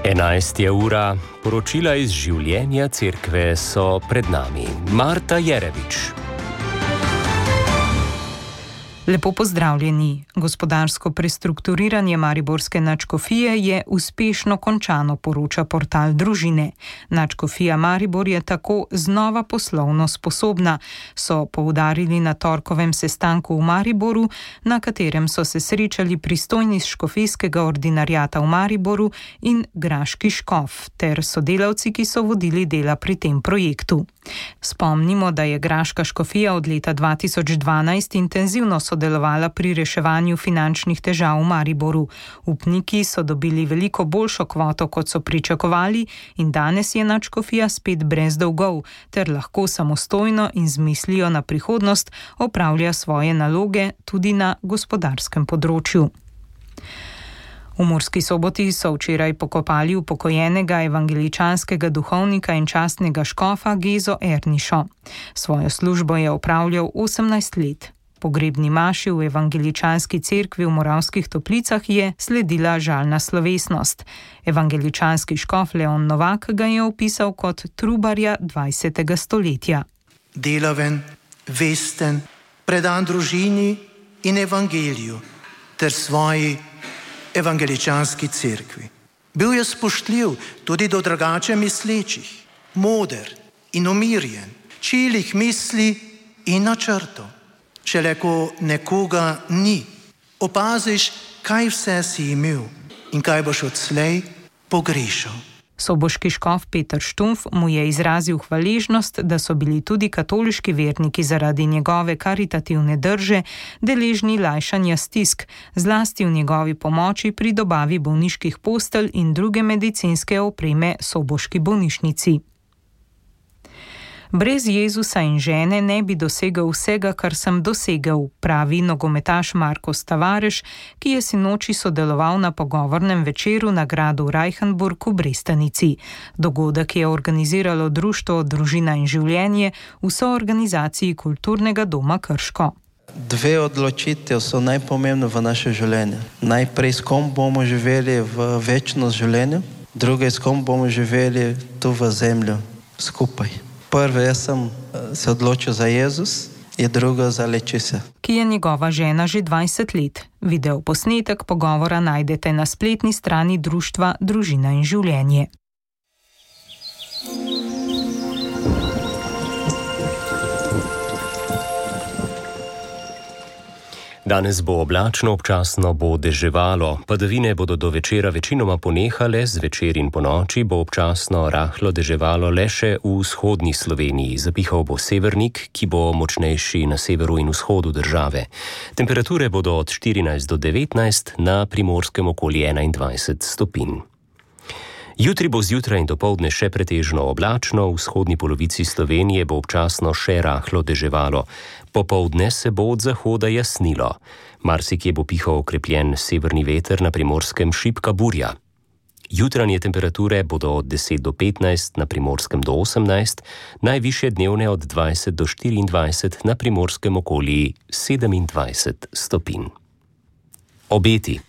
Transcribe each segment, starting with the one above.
11. ura, poročila iz življenja cerkve so pred nami. Marta Jerevič. Lepo pozdravljeni. Gospodarsko prestrukturiranje mariborske nadškofije je uspešno končano, poroča portal Družine. Nadškofija Maribor je tako znova poslovno sposobna, so poudarili na torkovem sestanku v Mariboru, na katerem so se srečali pristojni iz škofijskega ordinariata v Mariboru in graški škof ter sodelavci, ki so vodili dela pri tem projektu. Spomnimo, da je graška škofija od leta 2012 intenzivno sodelovala pri reševanju finančnih težav v Mariboru. Upniki so dobili veliko boljšo kvoto, kot so pričakovali, in danes je nadškofija spet brez dolgov, ter lahko samostojno in z mislijo na prihodnost opravlja svoje naloge tudi na gospodarskem področju. V Murski Soboti so včeraj pokopali upokojenega evangeličanskega duhovnika in častnega škofa Gezo Ernišo. Svojo službo je opravljal 18 let. Pogrebni maši v evangeličanski cerkvi v Moravskih Toplicah je sledila žalna slovesnost. Evangeličanski škof Leon Novak ga je opisal kot trubarja 20. stoletja. Delaven, vesten, predan družini in evangeliju ter svoji evangeličanski cerkvi. Bil je spoštljiv tudi do drugače mislečih, moder in umirjen, čilih misli in načrtov. Šele ko nekoga ni, opaziš, kaj vse si imel in kaj boš odslej pogrešal. Soboški škof Peter Štumf mu je izrazil hvaležnost, da so bili tudi katoliški verniki zaradi njegove karitativne drže deležni lajšanja stisk, zlasti v njegovi pomoči pri dobavi bolniških postelj in druge medicinske opreme soboški bolnišnici. Brez Jezusa in žene ne bi dosegel vsega, kar sem dosegel, pravi nogometaš Marko Stavareš, ki je sinoči sodeloval na pogovornem večeru na gradu Reichenburg v Brestanici. Dogodek je organiziralo društvo Družina in življenje v soorganizaciji Kulturnega doma Krško. Dve odločitev so najpomembne v naše življenje. Najprej, s kom bomo živeli v večnost življenja, druga, s kom bomo živeli tu v zemlju skupaj. Prvo, jaz sem se odločil za Jezus in drugo za Lečisa, ki je njegova žena že 20 let. Video posnetek pogovora najdete na spletni strani društva Družina in življenje. Danes bo oblačno, občasno bo deževalo. Padavine bodo do večera večinoma ponehale, zvečer in ponoči bo občasno rahlo deževalo le še v vzhodni Sloveniji. Zapihal bo severnik, ki bo močnejši na severu in vzhodu države. Temperature bodo od 14 do 19, na Primorskem okoli 21 stopinj. Jutri bo zjutraj in dopoldne še pretežno oblačno, v vzhodni polovici Slovenije bo občasno še rahlo deževalo. Popoldne se bo od zahoda jasnilo. Marsikje bo pihal okrepljen severni veter, na Primorskem šibka burja. Jutranje temperature bodo od 10 do 15, na Primorskem do 18, najvišje dnevne od 20 do 24, na Primorskem okoli 27 stopinj. Obeti.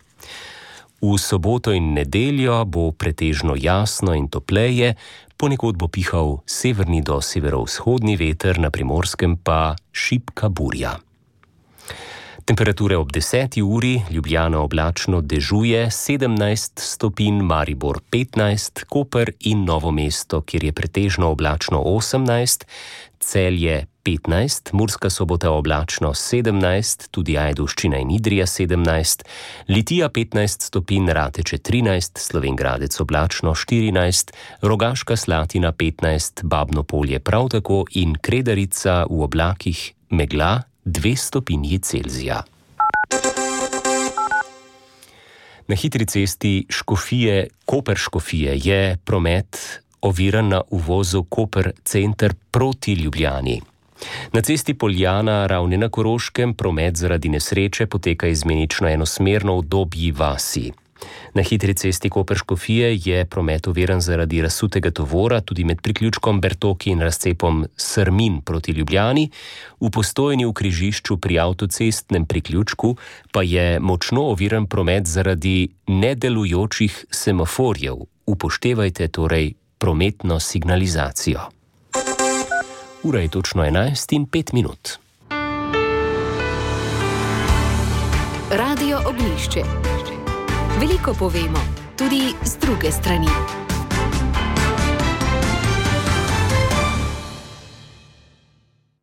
V soboto in nedeljo bo pretežno jasno in topleje, ponekod bo pihal severni do severovzhodni veter, na Primorskem pa šibka burja. Temperature ob 10. uri, Ljubljana oblačno dežuje 17 stopinj, Maribor 15, Koper in Novo mesto, kjer je pretežno oblačno 18, Celje 15, Murska Sobota oblačno 17, tudi Ajdovščina in Idrija 17, Litija 15 stopinj, Rateče 13, Slovenj Gradec oblačno 14, Rogaška Slatina 15, Babno Polje prav tako in Kredarica v oblakih megla 2 stopinji Celzija. Na hitri cesti Koper-Škofije je promet oviran na uvozu Koper center proti Ljubljani. Na cesti Poljana Ravne na Koroškem promet zaradi nesreče poteka izmenično enosmerno v Dobji vasi. Na hitri cesti Koper-Škofije je promet oviran zaradi razsutega tovora tudi med priključkom Bertoki in razcepom Srmin proti Ljubljani. V Postojni v križišču pri avtocestnem priključku pa je močno oviran promet zaradi nedelujočih semaforjev. Upoštevajte torej prometno signalizacijo. Ura je točno 11:05. Radio Oglišče. Veliko povemo, tudi z druge strani.